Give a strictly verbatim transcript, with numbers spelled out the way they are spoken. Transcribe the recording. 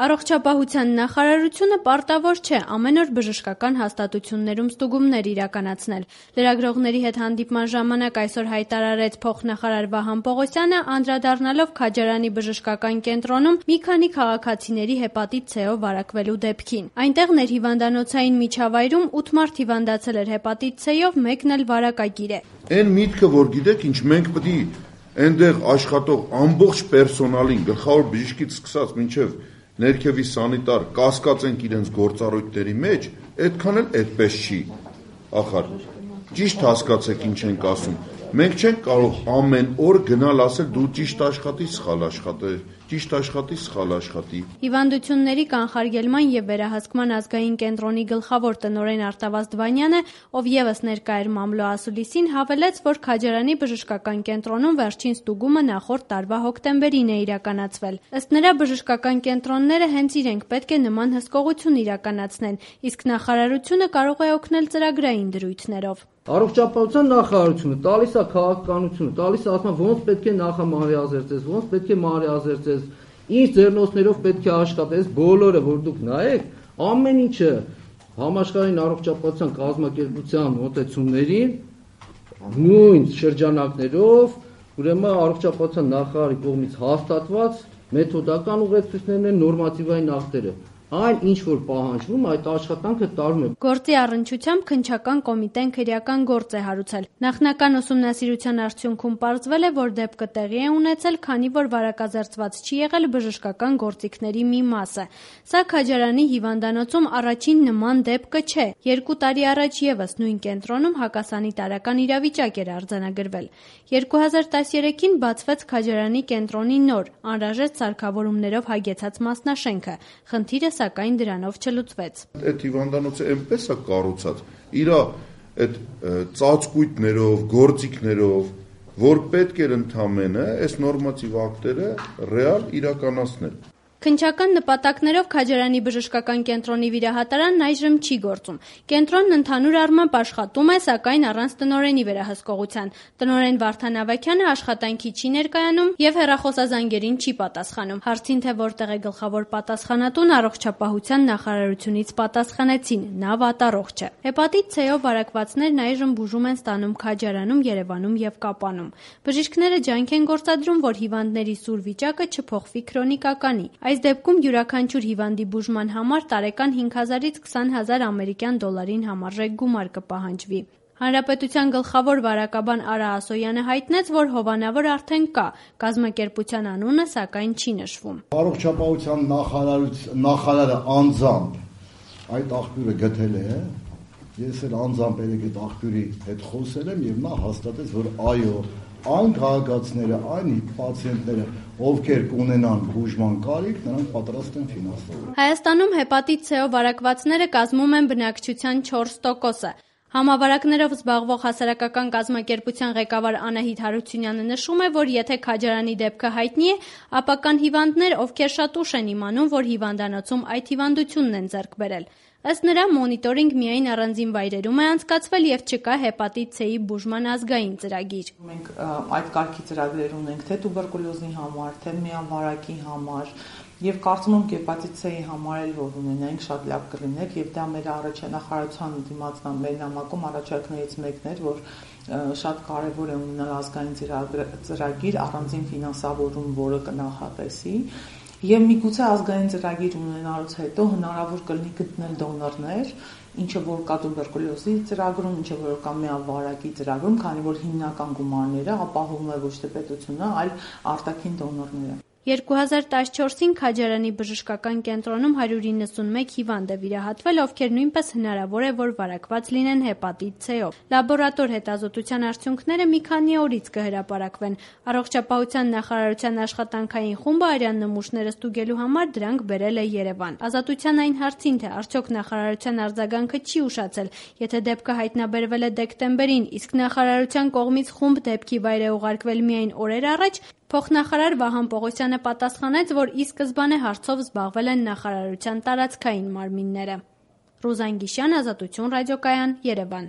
Առողջապահության նախարարությունը պարտավոր չէ ամեն օր բժշկական հաստատություններում ստուգումներ իրականացնել։ Լրագրողների հետ հանդիպման ժամանակ այսօր հայտարարեց փոխնախարար Վահան Պողոսյանը, անդրադառնալով Քաջարանի բժշկական կենտրոնում մի քանի քաղաքացիների հեպատիտ C-ով վարակվելու դեպքին։ Այնտեղ ներհիվանդանոցային միջավայրում ութ մարդ հիվանդացել էր հեպատիտ C-ով, մեկն էլ վարակագիր է։ Այն միտքը, որ գիտեք, ինչ մենք պետք է այնտեղ աշխատող ամբողջ պերսոնալին, գլխավոր բժիշկից սկսած մինչև ներքևի սանիտար կասկածենք իրենց գործառույթների մեջ, այդքան էլ այդպես չի, ախար, ճիշտ հասկացեք ինչ ենք ասում, մենք չենք կարող ամեն օր գնալ ասել դու ճիշտ աշխատի, սխալ աշխատի, ճիշտ աշխատի, սխալ աշխատի։ Հիվանդությունների կանխարգելման և վերահսկման ազգային կենտրոնի գլխավոր տնօրեն Արտավազդ Վանյանը, ով ևս ներկա էր մամլո ասուլիսին, հավելեց, որ Քաջարանի բժշկական կենտրոնում վերջին ստուգումը նախորդ տարվա հոկտեմբերին է իրականացվել։ Ըստ նրա, բժշկական կենտրոնները հենց իրենք պետք է նման հսկողություն իրականացնեն, իսկ նախարարությունը կարող է օգնել ծրագրային դրույթներով։ Առողջապահության նախարարությունը տալիս է քաղաքականությունը, տալիս է ասում ոնց պետք է նախամարիազերծես, ոնց պետք է մարիազերծես, ինչ ձեռնոցներով պետք է աշխատես, բոլորը որ դուք նայեք, ամեն ինչը համաշխարհային առողջապահության կազմակերպության մոտեցումներին նույն շրջանակներով, ուրեմն առողջապահության նախարարի կողմից հաստատված մեթոդական ուղեցույցներն են, նորմատիվային ակտերը։ Այն ինչ որ պահանջվում, այդ աշխատանքը տարվում է։ Գործի առնչությամբ քննչական կոմիտեն քրեական գործ է հարուցել։ Նախնական ուսումնասիրության արդյունքում պարզվել է, որ դեպքը տեղի է ունեցել, քանի որ վարակազերծված չի եղել բժշկական գործիքների մի մասը։ Սա Քաջարանի հիվանդանոցում առաջին նման դեպքը չէ։ Երկու տարի առաջ ևս նույն կենտրոնում հակասանիտարական իրավիճակ էր արձանագրվել։ երկու հազար տասներեքին բացվեց Քաջարանի կենտրոնի նոր, անհրաժեշտ սարքավորումներով հագեցած մասնաշենքը։ Խնդիրը սակայն դրանով չլուծվեց։ Այդ հիվանդանոցը այնպես է կառուցած, իր այդ ծածկույթներով, գործիքներով, որ պետք էր ընդամենը այս նորմատիվ ակտերը ռեալ իրականացնել։ Քննչական նպատակներով Քաջարանի բժշկական կենտրոնի վիրահատարանն այժմ չի գործում։ Կենտրոնն ընդհանուր առմամբ աշխատում է, սակայն առանց տնօրենի վերահսկողության։ Տնօրեն Վարդան Ավագյանը աշխատանքի չի ներկայանում և հեռախոսազանգերին չի պատասխանում։ Հարցին, թե որտեղ է գլխավոր պատասխանատուն, առողջապահության նախարարությունից պատասխանեցին՝ նա վատառողջ է։ Հեպատիտ C-ով վարակվածներն այժմ բուժում են ստանում Քաջարանում, Երևանում և Կապանում։ Բժիշկները ջանք են գործադրում, որ հիվանդների սուր վիճակը չփոխվի քրոնիկականի։ Այս դեպքում յուրաքանչյուր հիվանդի բուժման համար տարեկան հինգ հազարից քսան հազար ամերիկյան դոլարին համարժեք գումար կպահանջվի։ Հանրապետության գլխավոր վարակաբան Արա Ասոյանը հայտնեց, որ հովանավոր արդեն կա, կազմակերպության անունը սակայն չի նշվում։ Առողջապահության նախարարը անձամբ այդ աղբյուրը գտել է, ես էլ անձամբ այդ աղբյուրի հետ խոսել եմ և նա հաստատեց, որ այո, այն քաղաքացիները, այն պացիենտները, ովքեր կունենան բուժման կարիք, նրանք պատրաստ են ֆինանսել։ Հայաստանում հեպատիտ C-ով վարակվածները կազմում են բնակչության չորս տոկոսը։ Համավարակներով զբաղվող հասարակական կազմակերպության ղեկավար Անահիտ Հարությունյանը նշում է, որ եթե Քաջարանի դեպքը հայտնի է, ապա կան հիվանդներ, ովքեր շատ ուշ են իմանում, որ հիվանդանոցում այդ հիվանդությունն են ձեռք բերել։ Ըստ նրա, մոնիտորինգ միայն առանձին վայրերում է անցկացվել և չկա հեպատիտ C-ի բուժման ազգային ծրագիր։ Մենք այդ կարգի ծրագրեր ունենք թե տուբերկուլոզի համար, թե միավարակի համար, եւ կարծում եմ հեպատիտ C-ի համար էլ որ ունենանք շատ լավ կլիներ եւ դա մեր առաջնահերթության դիմացնա մեր նամակում առաջարկներից մեկն էր, որ շատ կարեւոր է ունենալ ազգային ծրագիր առանձին ֆինանսավորում, որը կնախատեսի։ Եվ միգուցե ազգային ծրագիր ունենալուց հետո հնարավոր կլինի գտնել դոնորներ, ինչը որ կա տուբերկուլոզի ծրագրում, ինչը որ կա միավարակի ծրագրում, քանի որ հիմնական գումարները ապահովում է ոչ թե պետությունը, այլ արտաքին դոնորները։ երկու հազար տասնչորսին Քաջարանի բժշկական կենտրոնում հարյուր իննսունմեկ հիվանդ է վիրահատվել, ովքեր նույնպես հնարավոր է, որ վարակված լինեն հեպատիտ C-ով։ Լաբորատոր հետազոտության արդյունքները մի քանի օրից կհրապարակվեն։ Առողջապահության նախարարության աշխատանքային խումբը արյան նմուշները ստուգելու համար դրանք բերել է Երևան։ Ազատության այն հարցին, թե արդյոք նախարարության արձագանքը չի ուշացել, եթե դեպքը հայտնաբերվել է դեկտեմբերին, իսկ նախարարության կողմից խումբ դեպքի վայր է ուղարկվել միայն օրեր առաջ, փոխնախարար Վահան Պողոսյանը պատասխանեց, որ ի սկզբանե հարցով զբաղվել են նախարարության տարածքային մարմինները։ Ռուզան Գիշյան, Ազատություն ռադիոկայան, Երևան։